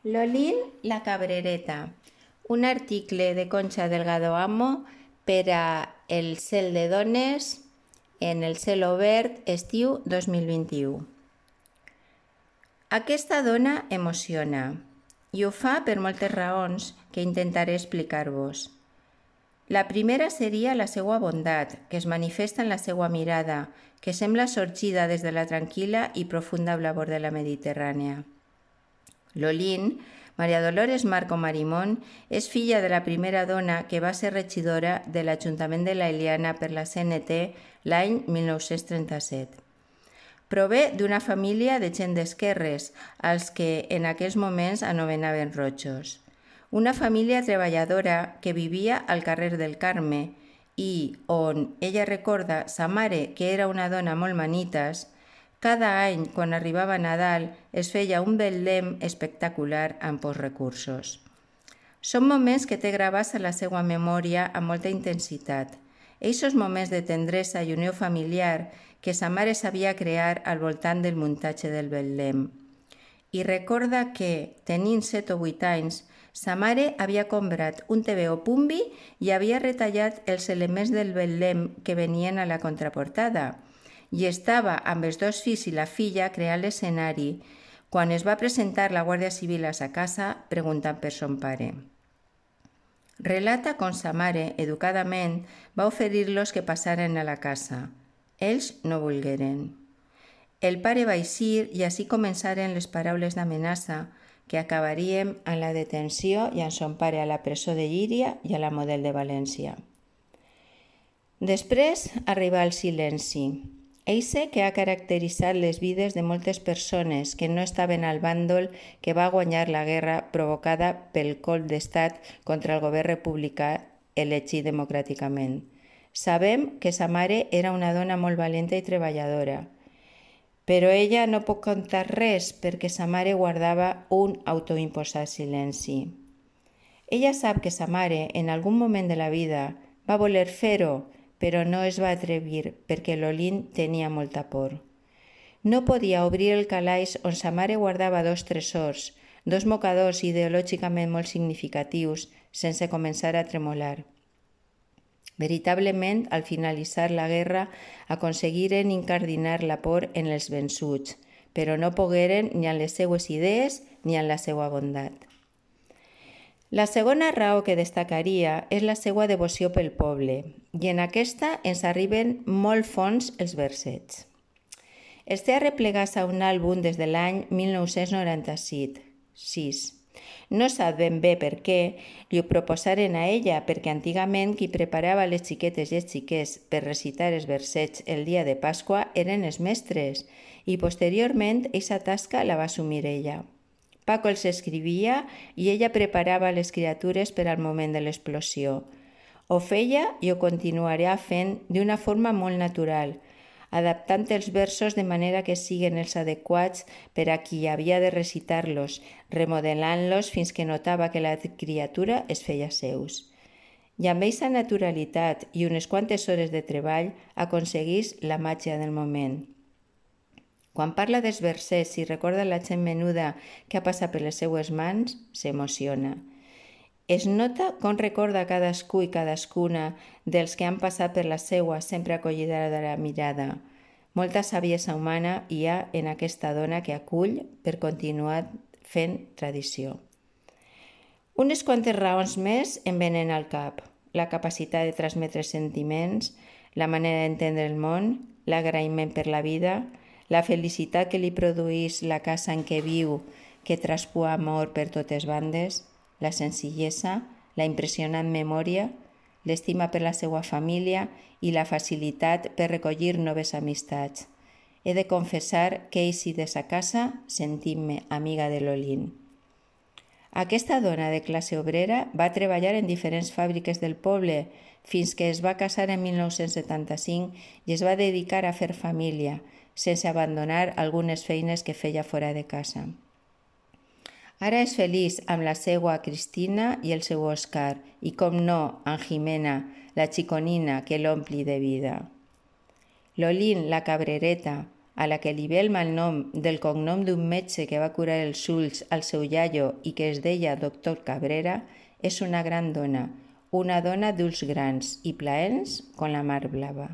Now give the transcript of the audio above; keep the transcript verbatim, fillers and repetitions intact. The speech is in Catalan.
Lolín la cabrereta, un article de Concha Delgado Amo per a El cel de dones en El cel obert estiu dos mil vint-i-u. Aquesta dona emociona i ho fa per moltes raons que intentaré explicar-vos. La primera seria la seva bondat, que es manifesta en la seva mirada, que sembla sorgida des de la tranquil·la i profunda blavor de la Mediterrània. Lolín, Maria Dolores Marco Marimón, és filla de la primera dona que va ser regidora de l'Ajuntament de la Eliana per la C N T l'any mil nou-cents trenta-set. Prové d'una família de gent d'esquerres, als que en aquells moments anomenaven rojos. Una família treballadora que vivia al carrer del Carme i on ella recorda sa mare, que era una dona molt manites. Cada any, quan arribava Nadal, es feia un betlem espectacular amb pocs recursos. Són moments que té gravats a la seva memòria amb molta intensitat. Eixos moments de tendresa i unió familiar que sa mare sabia crear al voltant del muntatge del betlem. I recorda que, tenint set o vuit anys, sa mare havia comprat un T V O Pumbi i havia retallat els elements del betlem que venien a la contraportada, i estava amb els dos fills i la filla creant l'escenari quan es va presentar la Guàrdia Civil a sa casa preguntant per son pare. Relata com sa mare, educadament, va oferir-los que passaren a la casa. Ells no volgueren. El pare va eixir i així començaren les paraules d'amenaça que acabaríem amb la detenció i amb son pare a la presó de Llíria i a la Model de València. Després arriba el silenci. Eixe que ha caracteritzat les vides de moltes persones que no estaven al bàndol que va guanyar la guerra provocada pel colp d'estat contra el govern republicà elegit democràticament. Sabem que sa mare era una dona molt valenta i treballadora, però ella no pot contar res perquè sa mare guardava un autoimposat silenci. Ella sap que sa mare, en algun moment de la vida, va voler fer-ho, però no es va atrevir perquè Lolín tenia molta por. No podia obrir el calaix on sa mare guardava dos tresors, dos mocadors ideològicament molt significatius, sense començar a tremolar. Veritablement, al finalitzar la guerra, aconseguiren incardinar la por en els vençuts, però no pogueren ni en les seues idees ni en la seva bondat. La segona raó que destacaria és la seva devoció pel poble, i en aquesta ens arriben molt fons els versets. Els té arreplegats a un àlbum des de l'any mil nou-cents noranta-sis. No sap ben bé per què li ho proposaren a ella, perquè antigament qui preparava les xiquetes i els xiquets per recitar els versets el dia de Pasqua eren els mestres, i posteriorment aquesta tasca la va assumir ella. Paco els escrivia i ella preparava les criatures per al moment de l'explosió. Ho feia i ho continuarà fent d'una forma molt natural, adaptant els versos de manera que siguen els adequats per a qui havia de recitar-los, remodelant-los fins que notava que la criatura es feia seus. I amb aquesta naturalitat i unes quantes hores de treball aconseguís la màgia del moment. Quan parla dels versets i recorda la gent menuda que ha passat per les seues mans, s'emociona. Es nota com recorda cadascú i cadascuna dels que han passat per la seua sempre acollida de la mirada. Molta saviesa humana hi ha en aquesta dona que acull per continuar fent tradició. Unes quantes raons més em venen al cap. La capacitat de transmetre sentiments, la manera d'entendre el món, l'agraïment per la vida, la felicitat que li produeix la casa en què viu, que traspua amor per totes bandes, la senzillesa, la impressionant memòria, l'estima per la seva família i la facilitat per recollir noves amistats. He de confessar que he eixit de sa casa sentint-me amiga de Lolín. Aquesta dona de classe obrera va treballar en diferents fàbriques del poble fins que es va casar en mil nou-cents setanta-cinc i es va dedicar a fer família, sense abandonar algunes feines que feia fora de casa. Ara és feliç amb la seva Cristina i el seu Òscar i, com no, amb Jimena, la xiconina que l'ompli de vida. Lolín, la cabrereta, a la que li ve el malnom del cognom d'un metge que va curar els ulls al seu iaio i que es deia doctor Cabrera, és una gran dona, una dona d'ulls grans i plaents com la mar blava.